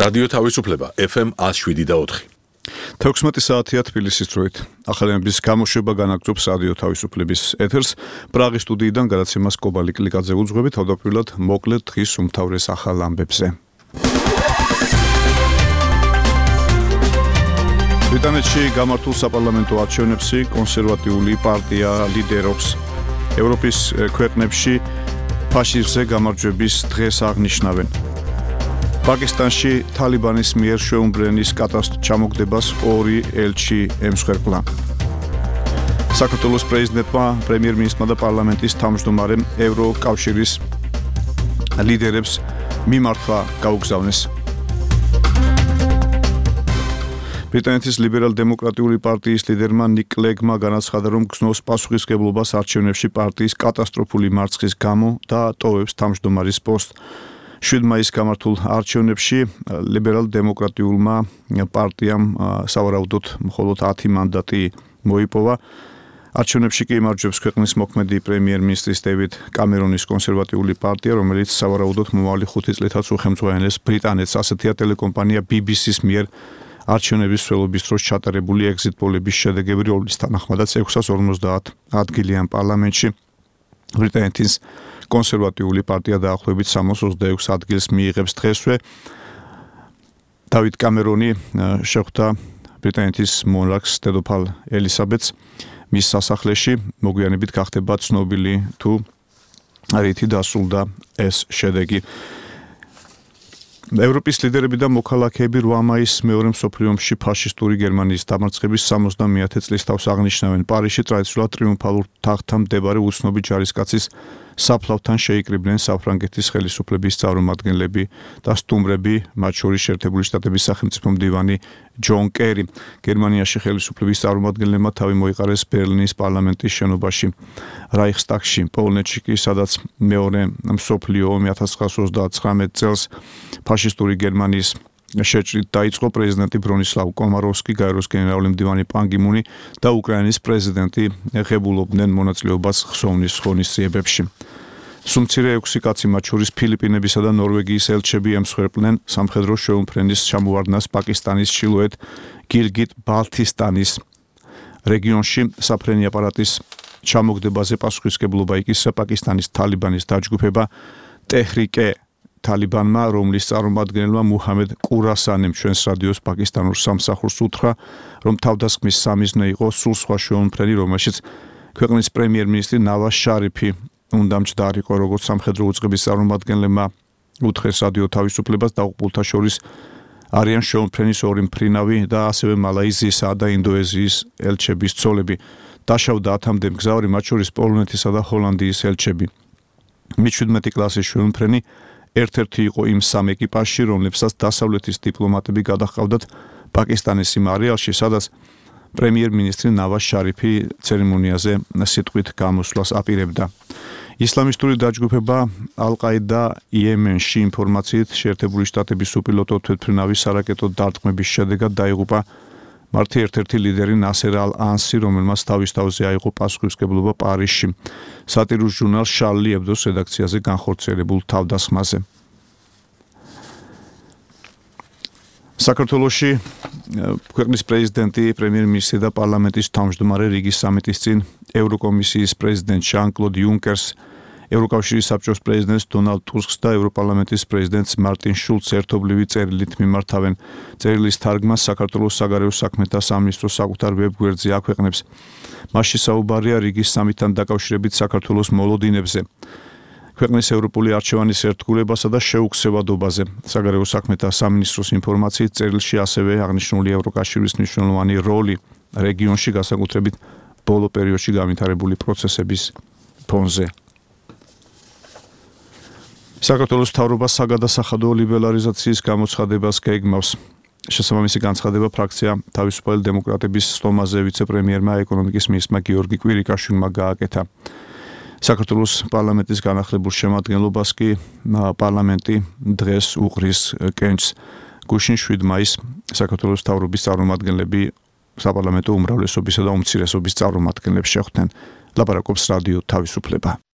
რადიო თავისუფლება FM 107.4. 16 საათია თბილისის დროით. ახალების გამოშვება განაგრძობს რადიო თავისუფლების ეთერს. პრაღის სტუდიიდან გადაცემას კობალი კლიკაძე უძღვებით, თავდაპირველად მოკლედ დღის უმთავრეს ახალ ამბებზე. ბრიტანეთში გამართულ საპარლამენტო არჩევნებში კონსერვატიული პარტია ლიდერობს. ევროპის ქვეყნებში ფაშიზმზე გამარჯვების დღეს აღნიშნავენ. პაკისტანში თალიბანის მიერ შეუმბრენის ჩამოგდებას ორი ელჩი ემსხვერპლა. საქართველოს პრეზიდენტმა, პრემიერ-მინისტრმა და პარლამენტის თავმჯდომარემ ევროკავშირის ლიდერებს მიმართვა გაუგზავნეს. ბრიტანეთის ლიბერალ-დემოკრატიული პარტიის ლიდერმა ნიკ კლეგმა განაცხადა, რომ გზნობს პასუხისმგებლობას არჩევნებში პარტიის კატასტროფული მარცხის გამო და ტოვებს თავმჯდომარის პოსტს. 7 მაისს გამართულ არჩევნებში ლიბერალ-დემოკრატიულმა პარტიამ სავარაუდოდ მხოლოდ 10 მანდატი მოიპოვა. არჩევნებში კი იმარჯვებს ქვეყნის მოქმედი პრემიერ-მინისტრის დევიდ კამერონის კონსერვატიული პარტია, რომელიც სავარაუდოდ მომავალი 5 წლითაც უხელმძღვანელებს ბრიტანეთს. ასეთია ტელეკომპანია BBC-ს მიერ არჩევნების მსვლელობის დროს ჩატარებული ეგზიტ პოლების შედეგები, რომლის თანახმადაც 650 ადგილიან პარლამენტში ბრიტანეთის კონსერვატიული პარტია დაახლოებით 326 ადგილს მიიღებს დღესვე. დავით კამერონი შეხვდა ბრიტანეთის მონარქს დედოფალ ელისაბედს მის სასახლეში. მოგვიანებით გახდება ცნობილი თუ რითი დასრულდა ეს შედეგი. ევროპის ლიდერები და მოქალაქეები 8 მაისს მეორე მსოფლიო ომში ფაშისტური გერმანიის დამარცხების 70-ე წლის თავს აღნიშნავენ. პარიზში ტრადიციულად ტრიუმფალურ თაღთან მდებარე უცნობი ჯარისკაცის საფლავთან შეიკრიბნენ საფრანგეთის ხელისუფლების წარმომადგენლები და სტუმრები, მათ შორის შეერთებული შტატების სახელმწიფო მდივანი ჯონ კერი. გერმანიაში ხელისუფლების წარმომადგენლებმა თავი მოიყარეს ბერლინის პარლამენტის შენობაში, რაიხსტაგში. პოლონეთში კი, სადაც მეორე მსოფლიო ომი 1939 წელს ფაშისტური გერმანიის შეჭრით დაიწყო, პრეზიდენტი ბრონისლავ კომაროვსკი, გაეროს გენერალური მდივანი პან კი მუნი და უკრაინის პრეზიდენტი ღებულობდნენ მონაწილეობას ხსოვნის ღონისძიებებში. სუმცირე 6 კაცი, მათ შორის ფილიპინებისა და ნორვეგიის ელჩები ემსხვერპლნენ სამხედრო შეუმფრენის ჩამოვარდნას პაკისტანის ჩრდილოეთ გილგიტ-ბალთისტანის რეგიონში. საფრენი აპარატის ჩამოგდებაზე პასუხისმგებლობა იკისრა პაკისტანის თალიბანის დაჯგუფება ტეჰრიკე თალიბანმა, რომლის წარმომადგენელმა მუჰამედ კურასანიმ ჩვენს რადიოს პაკისტანურ სამსახურს უთხრა, რომ თავდასხმის სამიზნე იყო სულ სხვა შეუმფრენი, რომელშიც ქვეყნის პრემიერ-მინისტრი ნავაზ შარიფი უნდა მჯდარიყო. როგორც სამხედრო უწყების წარმომადგენლებმა უთხრეს რადიო თავისუფლებას, დაღუპულთა შორის არიან შეუმფრენის ორი მფრინავი და ასევე მალაიზიისა და ინდონეზიის ელჩების ცოლები. დაშავდა 10-მდე მგზავრი, მათ შორის პოლონეთისა და ჰოლანდიის ელჩები. მე-17 კლასის შეუმფრენი ერთ-ერთი იყო იმ სამ ეკიპაჟში, რომლებსაც დასავლეთის დიპლომატები გადაჰყავდათ პაკისტანის იმ არეალში, სადაც პრემიერ-მინისტრი ნავაზ შარიფი ცერემონიაზე სიტყვით გამოსვლას აპირებდა. ისლამისტური დაჯგუფება ალ-ყაიდა იემენში ინფორმაციით შეერთებული შტატების უპილოტო თვითმფრინავის სარაკეტო დარტყმების შედეგად დაიღუპა მართი ერთ-ერთი ლიდერი ნასერ ალ-ანსი, რომელმაც თავის თავზე აიღო პასუხისმგებლობა პარიზში სატირულ ჟურნალ შარლი ებდოს რედაქციაზე განხორციელებულ თავდასხმაზე. საქართველოში ქვეყნის პრეზიდენტი, პრემიერ-მინისტრი და პარლამენტის თავმჯდომარე რიგის სამიტის წინ ევროკომისიის პრეზიდენტ ჟან-კლოდ იუნკერს, ევროკავშირის საბჭოს პრეზიდენტს დონალდ ტუსკს და ევროპარლამენტის პრეზიდენტს მარტინ შულცს ერთობლივი წერილით მიმართავენ. წერილის თარგმანს საქართველოს საგარეო საქმეთა სამინისტრო საკუთარ ვებ-გვერდზე აქვეყნებს. მასში საუბარია რიგის სამიტთან დაკავშირებით საქართველოს მოლოდინებზე, ქვეყნის ევროპული არჩევანის ერთგულებასა და შეუქცევადობაზე. საგარეო საქმეთა სამინისტროს ინფორმაციით წერილში ასევე აღნიშნული ევროკავშირის მნიშვნელოვანი როლი რეგიონში, განსაკუთრებით ბოლო პერიოდში განვითარებული პროცესების ფონზე. საქართველოს მთავრობა საგადასახადო ლიბერალიზაციის გამოცხადებას გეგმავს. შესაბამისი განცხადება ფრაქცია თავისუფალი დემოკრატების სტომაზე ვიცე-პრემიერმა ეკონომიკის მინისტრმა გიორგი კვირიკაშვილმა გააკეთა. საქართველოს პარლამენტის განახლებულ შემადგენლობას კი პარლამენტი დღეს უყრის კენჭს. გუშინ 7 მაისს საქართველოს მთავრობის წარმომადგენლები საპარლამენტო უმრავლესობისა და უმცირესობის წარმომადგენლებს შეხვდნენ. ლაპარაკობს რადიო თავისუფლება.